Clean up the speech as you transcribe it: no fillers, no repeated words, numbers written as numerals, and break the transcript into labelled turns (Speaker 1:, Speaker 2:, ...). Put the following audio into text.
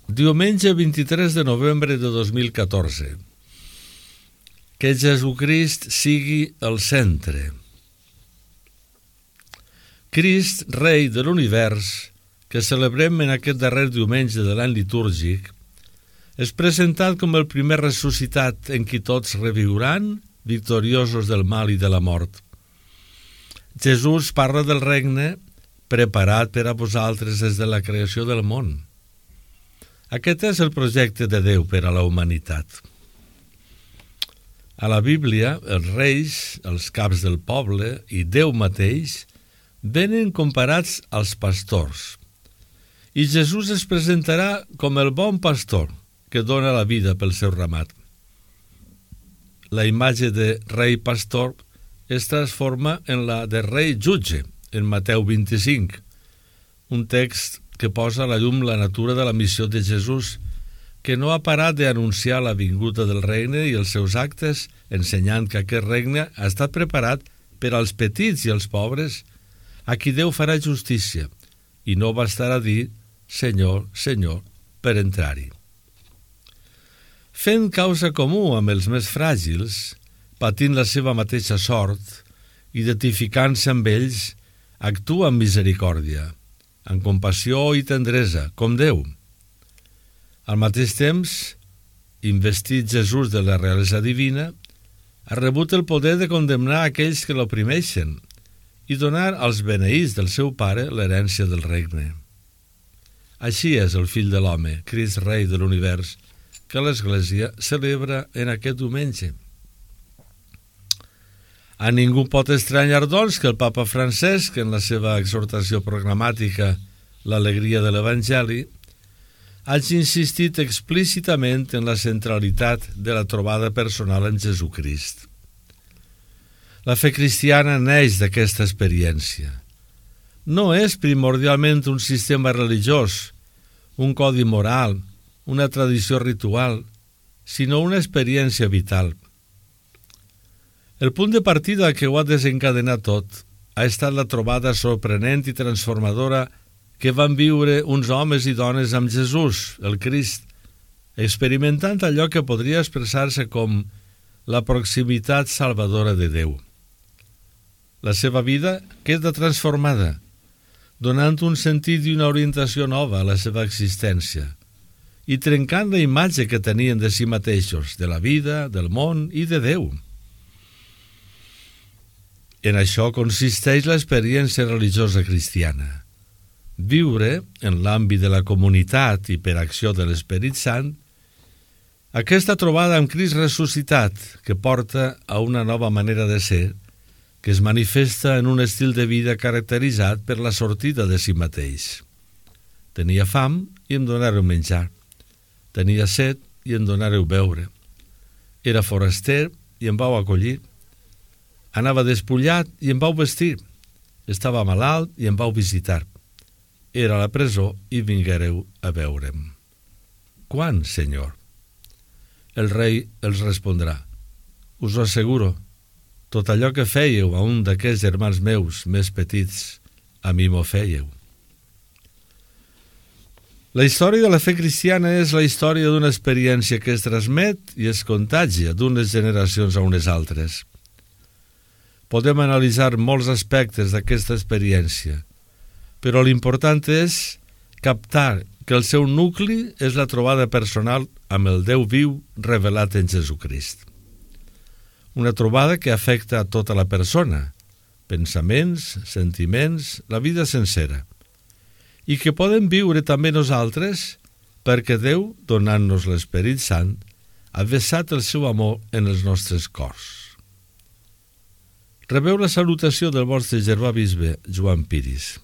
Speaker 1: Diumenge 23 de novembre de 2014. Que Jesucrist sigui el centre. Crist, rei de l'univers, que celebrem en aquest darrer diumenge de l'any litúrgic, és presentat com el primer ressuscitat en qui tots reviuran, victoriosos del mal i de la mort. Jesús parla del regne preparat per a vosaltres des de la creació del món. Aquest és el projecte de Déu per a la humanitat. A la Bíblia, els reis, els caps del poble i Déu mateix venen comparats als pastors. I Jesús es presentarà com el bon pastor que dona la vida pel seu ramat. La imatge de rei pastor es transforma en la de rei jutge, en Mateu 25, un text que posa a la llum la natura de la missió de Jesús, que no ha parat d'anunciar la vinguda del regne i els seus actes, ensenyant que aquest regne ha estat preparat per als petits i els pobres, a qui Déu farà justícia, i no bastarà dir Senyor, Senyor, per entrar-hi. Fent causa comú amb els més fràgils, patint la seva mateixa sort, identificant-se amb ells, actua amb misericòrdia, amb compassió i tendresa, com Déu. Al mateix temps, investit Jesús de la realesa divina, ha rebut el poder de condemnar aquells que l'oprimeixen i donar als beneïts del seu Pare l'herència del regne. Així és el Fill de l'Home, Crist Rei de l'univers, que l'Església celebra en aquest diumenge. A ningú pot estranyar, doncs, que el Papa Francesc, en la seva exhortació programàtica L'alegria de l'Evangeli, hagi insistit explícitament en la centralitat de la trobada personal en Jesucrist. La fe cristiana neix d'aquesta experiència. No és primordialment un sistema religiós, un codi moral, una tradició ritual, sinó una experiència vital. El punt de partida que ho ha desencadenat tot ha estat la trobada sorprenent i transformadora que van viure uns homes i dones amb Jesús, el Crist, experimentant allò que podria expressar-se com la proximitat salvadora de Déu. La seva vida queda transformada, donant un sentit i una orientació nova a la seva existència i trencant la imatge que tenien de si mateixos, de la vida, del món i de Déu. En això consisteix l'experiència religiosa cristiana. Viure, en l'àmbit de la comunitat i per acció de l'Esperit Sant, aquesta trobada amb Crist ressuscitat que porta a una nova manera de ser, que es manifesta en un estil de vida caracteritzat per la sortida de si mateix. Tenia fam i em donareu menjar. Tenia set i em donareu beure. Era foraster i em vau acollir. Anava despullat i em vau vestir. Estava malalt i em vau visitar. Era a la presó i vinguéreu a veure'm. Quan, Senyor? El rei els respondrà: us ho asseguro, tot allò que fèieu a un d'aquests germans meus més petits, a mi m'ho fèieu. La història de la fe cristiana és la història d'una experiència que es transmet i es contagia d'unes generacions a unes altres. Podem analitzar molts aspectes d'aquesta experiència, però l'important és captar que el seu nucli és la trobada personal amb el Déu viu revelat en Jesucrist. Una trobada que afecta a tota la persona, pensaments, sentiments, la vida sencera, i que podem viure també nosaltres perquè Déu, donant-nos l'Esperit Sant, ha vessat el seu amor en els nostres cors. Rebeu la salutació del vostre germà bisbe Joan Piris.